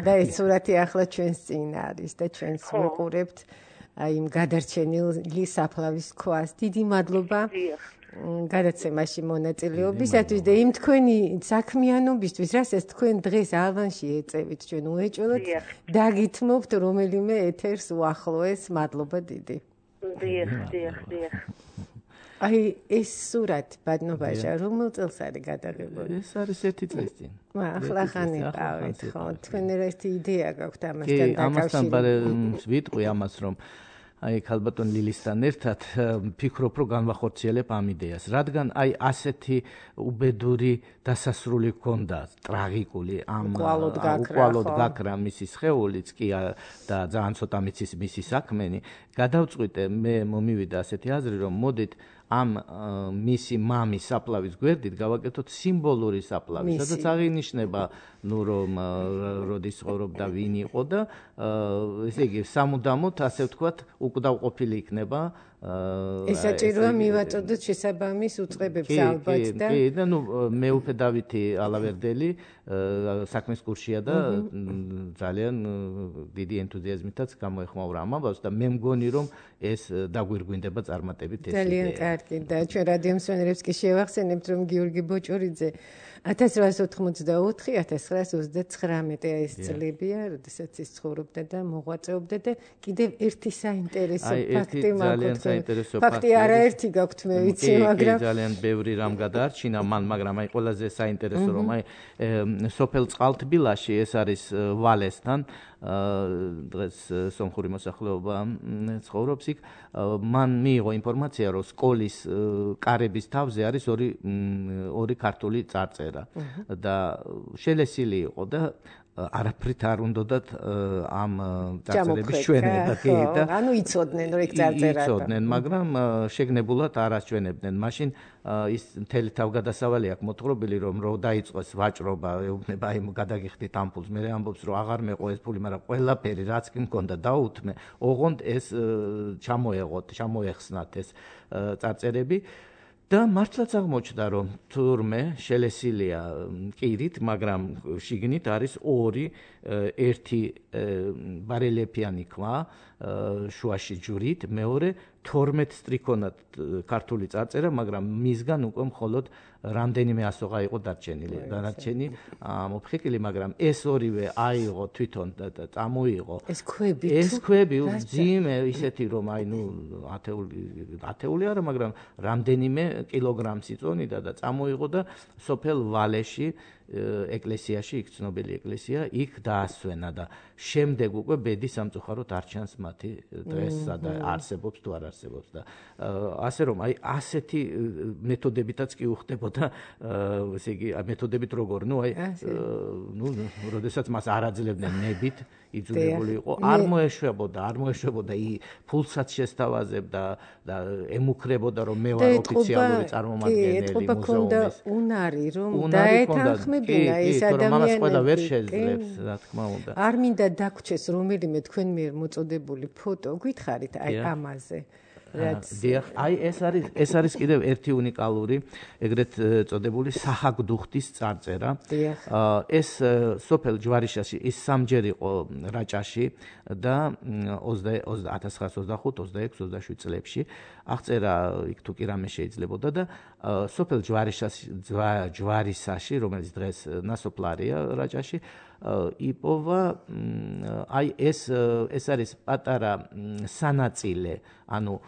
და ეს სურათი ახლა ჩვენს წინ არის და ჩვენს ვიყურებთ აი იმ გადარჩენილი საფლავის ქვას. დიდი მადლობა. გადაცემაში მონაწილეობისათვის და იმ თქვენი საქმიანობისთვის, რასაც თქვენ დღეს ალვანში ეწევით, ჩვენ უეჭველად დაგითმობთ რომელიმე ეთერს უახლოეს. მადლობა დიდი. დიახ. აი ეს სურათი ბატონო ვაჟა რომელ წელს არის გადაღებული? ეს არის 1 წლის წინ. ახლა ხანი ყავით, ხო? თქვენ ერთი იდეა გაქვთ ამასთან დაკავშირებით? ამასთან ვიტყვი ამას, რომ აი ქალბატონ ლილისთან ერთად ფიქრობ, რომ განვახორციელებ ამ იდეას, რადგან აი ასეთი უბედური დასასრული ჰქონდა, ტრაგიკული ამ უკვალოდ გაქრა მისი სხეულიც კი და ძალიან ცოტა მიცის მისი საქმენი, გადავწყვიტე მე მომივიდა ასეთი აზრი, რომ მოდით ამ მისი მამის საფლავის გვერდით გავაკეთოთ სიმბოლური საფლავი, სადაც აღინიშნება, ნუ რომ როდის ცხოვრობდა, ვინ იყო და ესე იგი სამუდამოდ, ასე ვთქვათ, უკდავყოფილი იქნება ესაჭიროა მივაწოდოთ შესაბამის უწყებებს ალბათ და კი და მეუფე დავითი ალავერდელი საქმის კურსია და ძალიან დიდი ენთუზიაზმითაც გამოეხმაურა ამ ამბავს და მე მგონი რომ ეს დაგვირგვინდება წარმატებით ეს ძალიან კარგი და ჩვენ რადიო მსმენელებს კი შევახსენებთ რომ გიორგი ბოჭორიძე 1824-1929 ეს წლებია, როდესაც ის ცხოვრობდა და მოღვაწეობდა და კიდევ ერთი საინტერესო ფაქტი მაქვს. ფაქტი არაერთი გაქვთ მე ვიცი, მაგრამ ძალიან ბევრი რამ გადაარჩინა მან, მაგრამ აი ყველაზე საინტერესო რომ აი სოფელ წყალთბილაში ეს არის ვალესთან დღეს სომხური მოსახლეობა ცხოვრობს იქ მან მიიღო ინფორმაცია რომ სკოლის კარების თავზე არის ორი ქართული წარწერა და შელესილი იყო და არაფრით არ უნდათ ამ წარწერების ჩვენება კი და ანუ იცოდნენ რომ ეგ წარწერაა იცოდნენ მაგრამ შეგნებულად არ აჩვენებდნენ მაშინ ის მთელი თავგადასავალი აქვს მოთხრობილი რომ დაიწყოს ვაჭრობა ეუბნება აი გადაგიხდით ამ ფულს მე ამბობს რომ აღარ მეყო ეს ფული მაგრამ ყველაფერი რაც კი მქონდა დაუთმე ოღონდ ეს ჩამოეხსნათ ეს წარწერები და მართლაც აღმოჩნდა რომ თურმე შელესილია კირით, მაგრამ შიგნით არის ერთი ბარელიეფიანი ქვა შუაში ჯვრით, მეორე 12 სტრიქონად ქართული წარწერა, მაგრამ მისგან უკვე მხოლოდ რამდენიმე ასოღა იყო დარჩენილი. დანარჩენი მოფხიკილი, მაგრამ ეს ორივე აიღო თვითონ და წამოიღო. ეს ქვები ძიმე ისეთი რომ აი ათეული არა, მაგრამ რამდენიმე კილოგრამს იწონიდა და წამოიღო და სოფელ ვალეში ეკლესიაში, იქ ცნობილი ეკლესია, იქ დაასვენა და შემდეგ უკვე ბედი სამწუხაროდ არ ჩანს მათი დღეს სადა არსებობს თუ არ არსებობს და ასე რომ აი ასეთი მეთოდებითაც კი უხდებოდა ესე იგი მეთოდებით როგორ როდესაც მას არ აძლევდნენ ნებით იძულებული იყო არ მოეშვებოდა ფულსაც შესთავაზებდა და ემუქრებოდა რომ მე ვარ ოფიციალური წარმომადგენელი მუზეუმის უნარი რომ დაეთანხმებინა ეს ადამიანები ყველა ვერ შეძლებს რა თქმა უნდა არ მინდა დაგვრჩეს რომელიმე თქვენ მიერ მოწოდებული ფოტო გითხარით აი ამაზე აი ეს არის კიდევ ერთი უნიკალური ეგრეთ წოდებული საჰაგდუხტის წარწერა ეს სოფელ ჯვარიშაში ის სამჯერ იყო რაჭაში და 1925-26-27 წლებში აღწერა იქ თუ კი რამე შეიძლებოდა და სოფელ ჯვარისაში რომელიც დღეს ნასოფლარია რაჭაში იპოვა აი ეს არის პატარა სანაწილე ანუ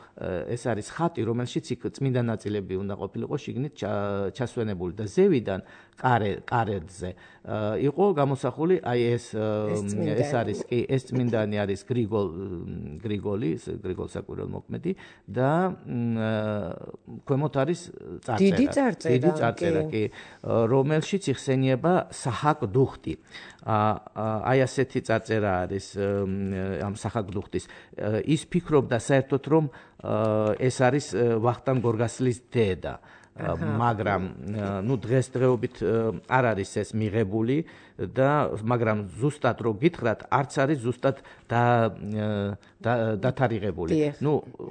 ეს არის ხატი რომელშიც იქ წმინდა ნაწილები უნდა ყოფილიყო შიგნით ჩასვენებული და ზევიდან კარედზე იყო გამოსახული აი ეს არის კი ეს წმინდანი არის გრიგოლ საკვირველთმოქმედი და ქვემოთ არის დიდი წარწერა კი რომელშიც იხსენიება საჰაგდუხტი აი ასეთი წარწერა არის ამ საჰაგდუხტის ის ფიქრობდა საერთოდ რომ ეს არის ვახტანგ გორგასლის დედა მაგრამ დღესდღეობით არ არის ეს მიღებული და მაგრამ ზუსტად რო გითხრათ არც არის ზუსტად დათარიღებული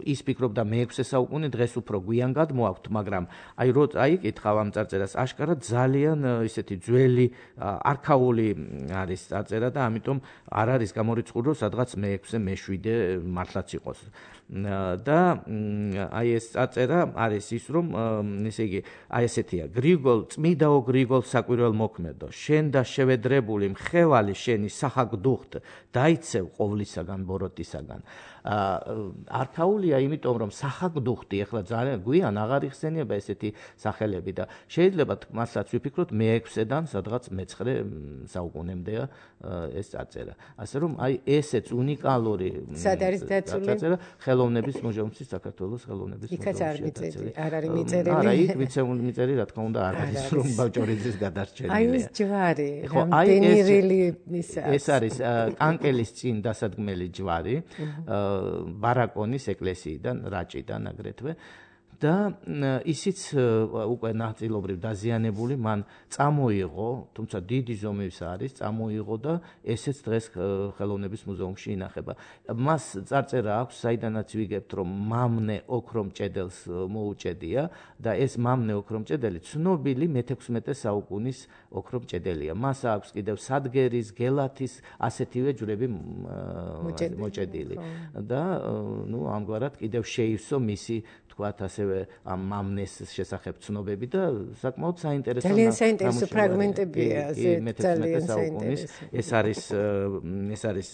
ის ფიქრობდა მე-6 საუკუნე დღეს უფრო გვიან გადმოაქვთ მაგრამ აი კითხავ ამ წარწერას აშკარად ძალიან ისეთი ძველი არქაული არის წარწერა და ამიტომ არ არის გამორიცხული რომ სადღაც მე-6 მე-7 მართლაც იყოს და აი ეს წარწერა არის ის რომ ესე იგი აი ესეთია წმიდაო გრიგოლ საკვირველთმოქმედო შენ და შევედრებული მხევალი შენი საჰაგდუხტ დაიცევ ყოვლისაგან ბოროტისაგან არქაულია იმიტომ რომ საჰაგდუხტი ახლა ძალიან გვიან აღარ იხსენიება ესეთი სახელები და შეიძლება მართლაც ვიფიქროთ მე-6-დან სადღაც მე-9 საუკუნემდეა ეს წარწერა ასე რომ აი ესეც უნიკალური წარწერა ხელოვნების მუზეუმში საქართველოს ხელოვნების მუზეუმში არ არის მიწერილი არა იქ მიწერი რა თქმა უნდა არ არის რომ ბაჭორიძის გადარჩენილია აი ეს ჯვარი რამდენირილი ეს არის კანკელის წინ დასადგმელი ჯვარი ბარაკონის ეკლესიიდან რაჭიდან აგრეთვე და ისიც უკვე ნაწილობრივ დაზიანებული, მან წამოიღო, თუმცა დიდი ზომის არის, წამოიღო და ესეც დღეს ხელოვნების მუზეუმში ინახება. მას წარწერა აქვს, საიდანაც ვიგებთ, რომ მამნე ოქრომჭედელს მოუჭედია და ეს მამნე ოქრომჭედელი ცნობილი მე-16 საუკუნის ოქრომჭედელია. მას აქვს კიდევ სადგერის, გელათის ასეთივე ჯვრები მოჭედილი. და ამგვარად კიდევ შეივსო მისი თქვათ ასევე ამ მამნეს შესახებ ცნობები და საკმაოდ საინტერესო ძალიან საინტერესო ფრაგმენტებია მე-16 საუკუნის ეს არის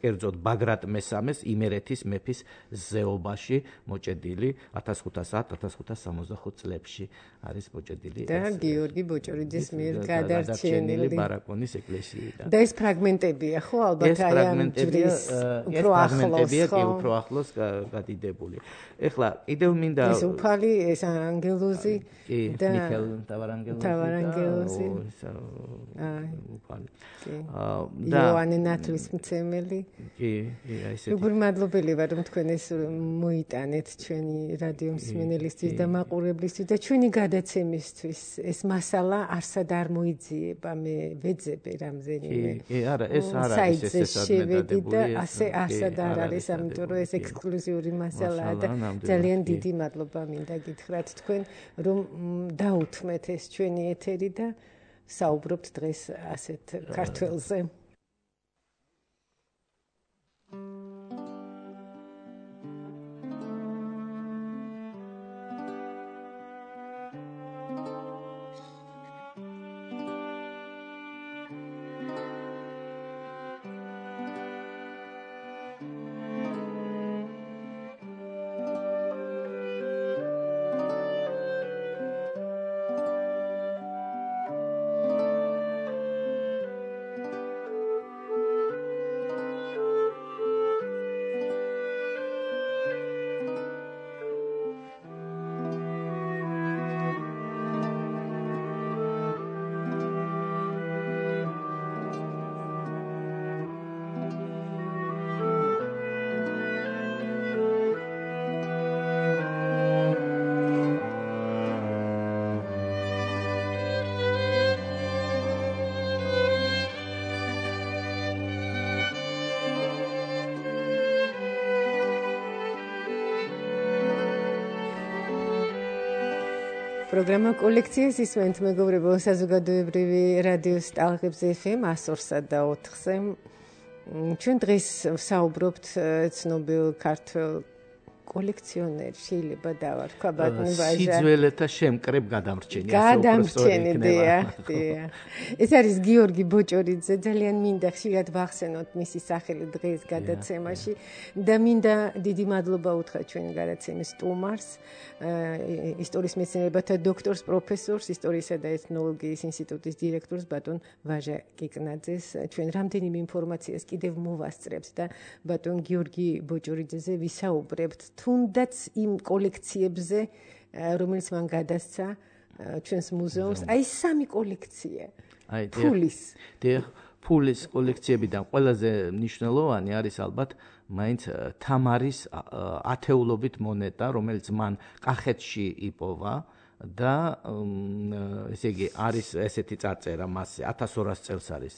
კერძოდ ბაგრატ მესამეს იმერეთის მეფის ზეობაში მოჭედილი 1510-1565 წლებში არის მოჭედილი და გიორგი ბოჭორიძის მიერ გადარჩენილი ბარაკონის ეკლესიიდან. და ეს ფრაგმენტებია ხო ალბათ აი ამ ჯვრის უფრო ახლოს გადიდებული. ეხლა კიდევ მინდა ეს უფალი ეს ანგელოზი და მიქელ თავარანგელოზი უფალი და იოანე ნათლისმცემელი როგორ მადლობელი ვარ რომ თქვენ ეს მოიტანეთ ჩვენი რადიო მსმენელისთვის და მაყურებლისთვის და ჩვენი გადაცემისთვის ეს მასალა არსად არ მოიძიება მე ვეძებე რამდენიმე არა ეს არ არის ესეც და ასე არსად არ არის ამიტომ რომ ეს ექსკლუზიური მასალაა და ძალიან დიდი მადლობა მინდა გითხრათ თქვენ რომ დაუთმეთ ეს ჩვენი ეთერი და საუბრობთ დღეს ასეთ ქართველზე. პროგრამა კოლექციას ისმენთ მეგობრებო საზოგადოებრივი რადიოს ტალღებზე FM 102.4-ზე. ჩვენ დღეს ვსაუბრობთ ცნობილ ქართველ კოლექციონერ შეიძლება დავარქვა ბატონი ვაჟა სიძველეთა შემკრებ გადამრჩენი ეს არის გიორგი ბოჭორიძე ძალიან მინდა ხშირად ვახსენოთ მისი სახელი დღეს გადაცემაში და მინდა დიდი მადლობა უთხრა ჩვენ გადაცემის სტუმარს ისტორიის მეცნიერებათა დოქტორს პროფესორს ისტორიისა და ეთნოლოგიის ინსტიტუტის დირექტორს ბატონ ვაჟა კიკნაძეს ჩვენ რამდენიმე ინფორმაციას კიდევ მოვასწრებთ და ბატონ გიორგი ბოჭორიძეზე ვისაუბრებთ თუნდაც იმ კოლექციებზე რომელიც მან გადასცა ჩვენს მუზეუმს აი სამი კოლექცია ფულის კოლექციებიდან ყველაზე მნიშვნელოვანი არის ალბათ მაინც თამარის ათეულობით მონეტა რომელიც მან კახეთში იპოვა და ესე იგი არის ესეთი წარწერა მასზე 1200 წელს არის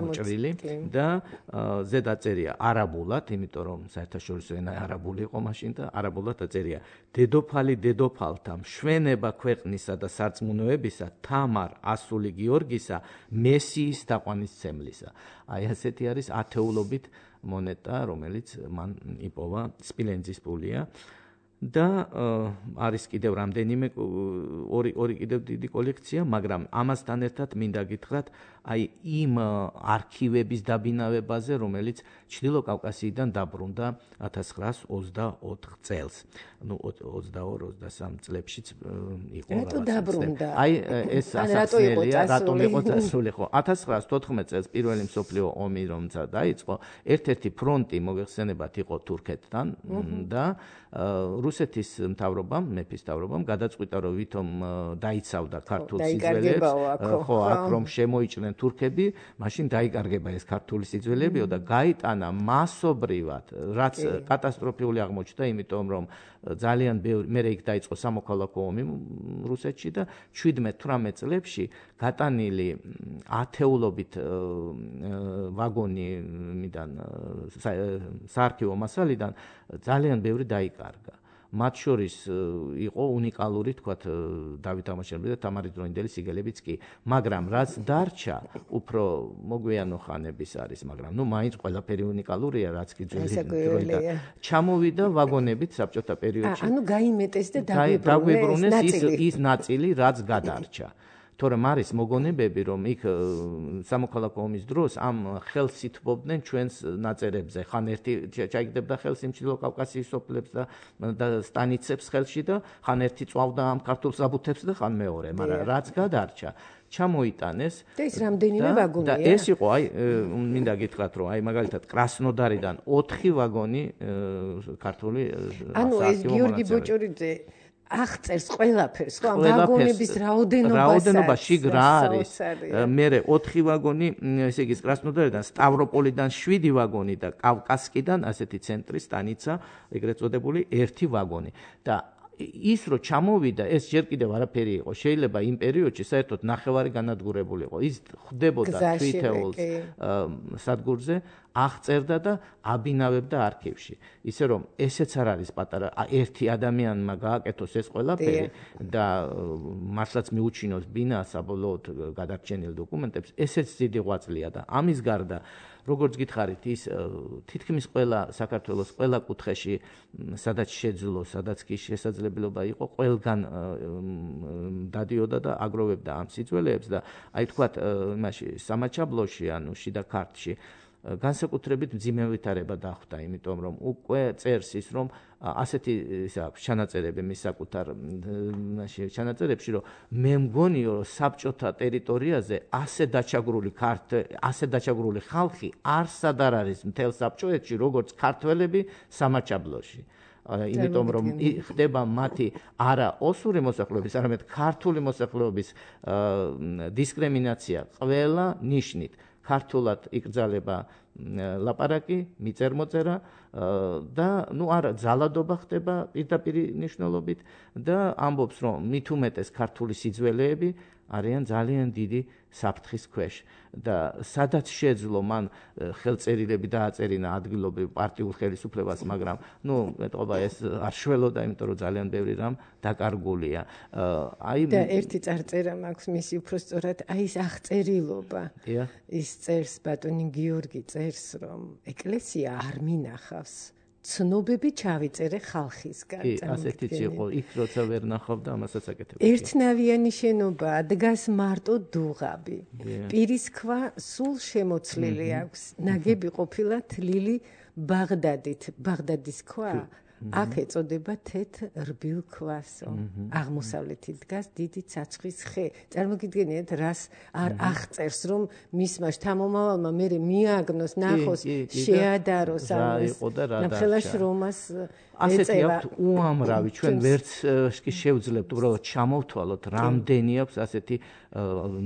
მოჭრილი და ზედა წერია არაბულად, იმიტომ რომ საერთაშორისო ენა არაბული იყო მაშინ და არაბულად წერია დედოფალი დედოფალთა მშვენება ქვეყნისა და სარწმუნოებისა თამარ ასული გიორგისა მესიის თაყვანისმცემლისა. აი ასეთი არის ათეულობით მონეტა, რომელიც მან იპოვა სპილენძის ფულია. და არის კიდევ რამდენიმე ორი კიდევ დიდი კოლექცია, მაგრამ ამასთან ერთად მინდა გითხრათ, აი იმ არქივების დაბინავებაზე, რომელიც ჩრდილო კავკასიიდან დაბრუნდა 1924 წელს. 22-23 წლებშიც იყო რაღაცა. აი ეს ასახსნელია, რატომ იყო წასული ხო? 1914 წელს პირველი მსოფლიო ომი დაიწყო, ერთ-ერთი ფრონტი მოიხსენებათ იყო თურქეთთან და რუსეთის მთავრობამ, მეფის მთავრობამ გადაწყვიტა, რომ ვითომ დაიცავდა ქართულ სიძველეებს, ხო, აქ რომ შემოიჭრნენ თურქები, მაშინ დაიკარგება ეს ქართული სიძველეებიო და გაიტანა მასობრივად, რაც კატასტროფული აღმოჩნდა, იმიტომ რომ ძალიან ბევრი მერე იქ დაიწყო სამოქალაქო ომი რუსეთში და 17-18 წლებში გატანილი ათეულობით ვაგონიდან საარქივო მასალიდან ძალიან ბევრი დაიკარგა. მათ შორის იყო უნიკალური, თქვათ, დავით აღმაშენებელი და თამარი დროინდელი სიგელებიც კი, მაგრამ რაც დარჩა, უფრო მოგვიანო ხანების არის, მაგრამ მაინც ყველაფერი უნიკალურია, რაც კი ძველი ჩამოვიდა ვაგონებით საბჭოთა პერიოდში. ანუ გაიმეტეს და დაგვიბრუნეს ის ნაწილი, რაც გადარჩა. თორემ არის მოგონებები, რომ იქ სამოქალაქო ომის დროს ამ ხელს ითბობდნენ ჩვენს ნაწერებზე. ხან ერთი ჩაიგდებდა ხელს იმჩილო კავკასიის სოფლებს და სტანიცებს ხელში და ხან ერთი წვავდა ამ ქართულ საბუთებს და ხან მეორე, მაგრამ რაც გადარჩა ჩამოიტანეს და ის რამდენიმე ვაგონია. და ეს იყო, მინდა გითხრათ, რომ მაგალითად კრასნოდარიდან 4 ვაგონი ქართული ანუ ეს გიორგი ბოჭორიძე აღწერს ყველაფერს, ხო, ვაგონების რაოდენობაში რა არის. მერე 4 ვაგონი, ესე იგი კრასნოდარიდან, სტავროპოლიდან 7 ვაგონი და კავკასკიდან, ასეთი ცენტრი სტანიცა, ეგრეთ წოდებული 1 ვაგონი. და ის რო ჩამოვიდა, ეს ჯერ კიდევ არაფერი იყო. შეიძლება იმ პერიოდში საერთოდ ნახევარი განადგურებული იყო. ის ხდებოდა თვითეულს სადგურზე, აღწერდა და აბინავებდა არქივში. ისე რომ ესეც არ არის პატარა, ერთი ადამიანმა გააკეთოს ეს ყველაფერი და მართლაც მიუჩინოს ბინა საბოლოოდ გადარჩენილ დოკუმენტებს, ესეც დიდი ღვაწლია და ამის გარდა როგორც გითხარით, ის თითქმის ყველა საქართველოს ყველა კუთხეში, სადაც შეძლო, სადაც კი შესაძლებლობა იყო, ყველგან დადიოდა და აგროვებდა ამ სიძველეებს და აი თქვათ, იმაში სამაჩაბლოში, ანუ შიდა ქართლში განსაკუთრებით მძიმე ვითარება დახვდა, იმიტომ რომ უკვე წერს ის, რომ ასეთი ჩანაწერები მის საკუთარ ჩანაწერებში, რომ მე მგონიო, რომ საბჭოთა ტერიტორიაზე ასე დაჩაგრული ხალხი არსად არ არის მთელ საბჭოეთში, როგორც ქართველები სამაჩაბლოში. იმიტომ რომ ხდება მათი არა ოსური მოსახლეობის, არამედ ქართული მოსახლეობის დისკრიმინაცია ყველა ნიშნით. ქართულად იკრძალება ლაპარაკი, მიწერ-მოწერა და არა ძალადობა ხდება პირდაპირ ნიშნულობით და ამბობს, რომ მით უმეტეს ქართული სიძველეები არიან ძალიან დიდი საფრთხის ქვეშ და სადაც შეძლო მან ხელწერილები დააწერინა ადგილობრივ პარტიულ ხელისუფლებას, მაგრამ მეტყობა ეს არ შველოდა, იმიტომ რომ ძალიან ბევრი რამ დაკარგულია. და ერთი წარწერა მაქვს მისი უფრო სწორად, ის აღწერილობა. ის წერს ბატონი გიორგი წერს, რომ ეკლესია არ მინახავს. ცნობები ჩავიწერე ხალხისგან. ასეთიც იყო, იქ როცა ვერ ნახავდა, ამასაც აკეთებდა. ერთნავიანი შენობა, დგას მარტო დუღაბი. პირის ქვა სულ შემოცლილი აქვს. ნაგები ყოფილა თლილი ბაღდადით. ბაღდადის ქვა აქ ეწოდება თეთრ რბილ ქვასო. აღმოსავლეთით დგას დიდი ცაცხვის ხე. წარმოგიდგენიათ, რას არ აღწერს, რომ მისმა შთამომავალმა მერე მიაგნოს, ნახოს, შეადაროს ამას. ნახელა შრომას ასეთი აქვთ უამრავი, ჩვენ ვერც კი შევძლებთ უბრალოდ ჩამოვთვალოთ, რამდენი აქვს ასეთი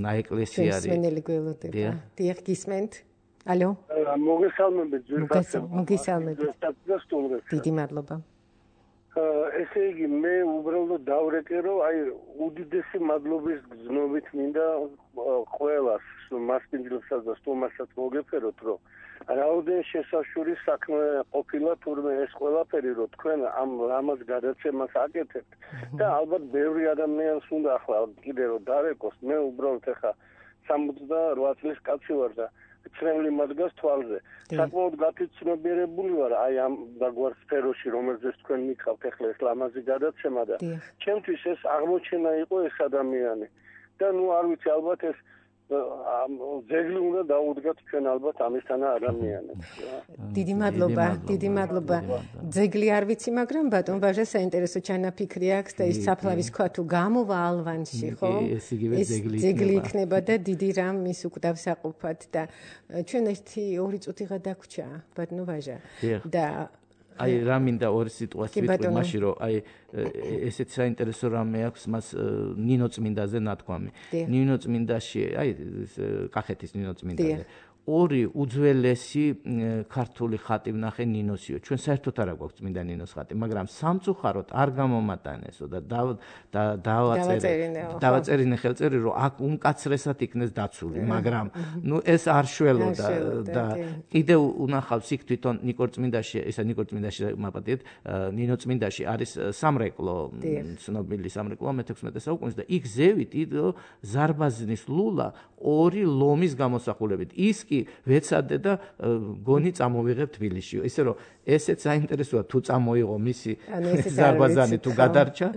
ნაეკლესიარი. მსმენელი გველოდება. დიახ, გისმენთ? ალო? მოგესალმებით, მოგესალმებით. დიდი მადლობა. ესე იგი, მე უბრალოდ დავრეკე, რომ აი უდიდესი მადლობის გზნობით მინდა ყველას, მასპინძლებსაც და სტუმარსაც მოგეფეროთ, რომ რაოდენ შესაშური საქმე ყოფილა თურმე ეს ყველაფერი, რომ თქვენ ამ რამას გადაცემას აკეთებთ და ალბათ ბევრი ადამიანს უნდა ახლა კიდე რომ დარეკოს, მე უბრალოდ ახლა 68 წლის კაცი ვარ და ცრემლი მადგას თვალზე. საკმაოდ გათვითცნობიერებული ვარ აი ამ დაგვარ სფეროში, რომელზეც თქვენ მითხავთ ახლა ეს ლამაზი გადაცემა და ჩემთვის ეს აღმოჩენა იყო ეს ადამიანი. და არ ვიცი, ალბათ ეს ძეგლი უნდა დაუდგათ ჩვენ ალბათ ამისთანა ადამიანებს. დიდი მადლობა, დიდი მადლობა. ძეგლი არ ვიცი, მაგრამ ბატონ ვაჟა საინტერესო ჩანაფიქრი აქვს და ის საფლავის ქვა თუ გამოვა ალვანში, ხო? ეს იგივე ძეგლი იქნება და დიდი რამ მის უკვდავს აყოფათ და ჩვენ 1-2 წუთიღა დაგვრჩა, ბატონო ვაჟა. და აი რა მინდა ორი სიტყვას ვიტყვი მაშინ რომ აი ესეც საინტერესო რამე აქვს მას ნინო წმინდაზე ნათქვამი. ნინო წმინდაში აი კახეთის ნინო წმინდაზე ორი უძველესი ქართული ხატი ვნახე ნინოსიო. ჩვენ საერთოდ არ გვაქვს წმინდა ნინოს ხატი, მაგრამ სამწუხაროდ არ გამომატანესო და დავაწერინე ხელწერი რომ აქ უმკაცრესად იქნეს დაცული, მაგრამ ნუ ეს არ შველოდა და კიდევ უნახავს იქ თვითონ ნიკორწმინდაში, ისა ნიკორწმინდაში მაპატიეთ, ნინო წმინდაში არის სამრეკლო, ცნობილი სამრეკლო მე-16 საუკუნის და იქ ზევით იდო ზარბაზნის ლულა ორი ლომის გამოსახულებით. ის კი ვეცადე და გონი წამოვიღებ თბილისში. ისე რომ ესეც საინტერესოა თუ წამოიღო მისი ზარბაზანი თუ გადარჩა,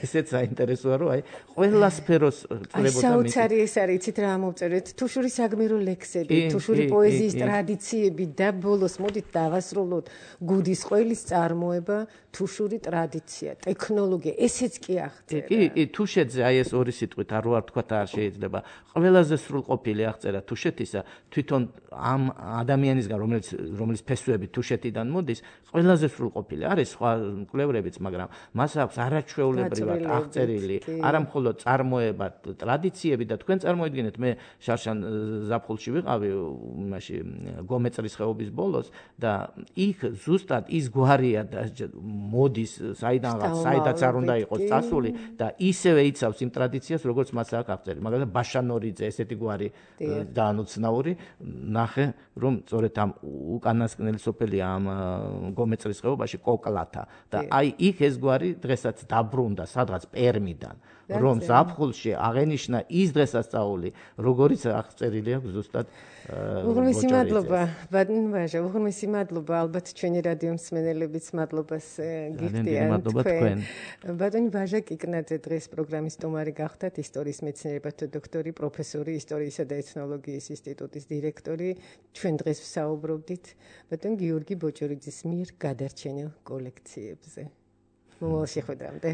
ესეც საინტერესოა რომ აი ყველა სფეროს წლებოდა მისი. საოცარი ეს არის, იცით რა მოვწერეთ, თუშური საგმირო ლექსები, თუშური პოეზიის ტრადიციები და ბოლოს მოდით დავასრულოთ გუდის ყველის წარმოება, თუშური ტრადიცია, ტექნოლოგია, ესეც კი აღწერა. კი, თუშეთზე აი ეს ორი სიტყვით არ ვარ თქვა არ შეიძლება. ყველაზე სრულყოფილი აღწერა თუშეთისა თვითონ ამ ადამიანისგან რომელიც ფესვები თუშეთიდან მოდის ყველაზე სრულყოფილი არის სხვა კვლევრებიც მაგრამ მას აქვს არაჩვეულებრივად აღწერილი არა მხოლოდ წარმოება ტრადიციები და თქვენ წარმოიდგინეთ მე შარშან ზაფხულში ვიყავი იმაში გომეწრის ხეობის ბოლოს და იქ ზუსტად ის გვარია და მოდის საიდანაც არ უნდა იყოს წასული და ისევე იცავს იმ ტრადიციას როგორც მას აქვს აღწერილი მაგალითად ბაშანორიძე ესეთი გვარი დაანუცნაური ნახე რომ სწორედ ამ უკანასკნელი სოფელია ამ გომეწრის ხეობაში კოკლათა და აი იქ ეს გვარი დღესაც დაბრუნდა სადღაც პერმიდან რომ ზაფხულში აღენიშნა ის დღესასწაული როგორიც აღწერილი აქვს ზუსტად უღრმესი მადლობა ბატონ ვაჟა უღრმესი მადლობა ალბათ ჩვენი რადიო მსმენელებიც მადლობას გიხდიან თქვენ ბატონი ვაჟა კიკნაძე დღეს პროგრამის სტუმარი გახდათ ისტორიის მეცნიერებათა დოქტორი პროფესორი ისტორიისა და ეთნოლოგიის ინსტიტუტის დირექტორი ჩვენ დღეს ვსაუბრობდით ბატონ გიორგი ბოჭორიძის მიერ გადარჩენილ კოლექციებზე მომავალ შეხვედრამდე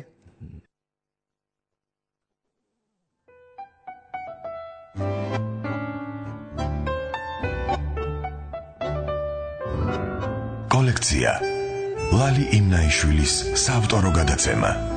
კოლექცია ლალი იმნაიშვილის საავტორო გადაცემა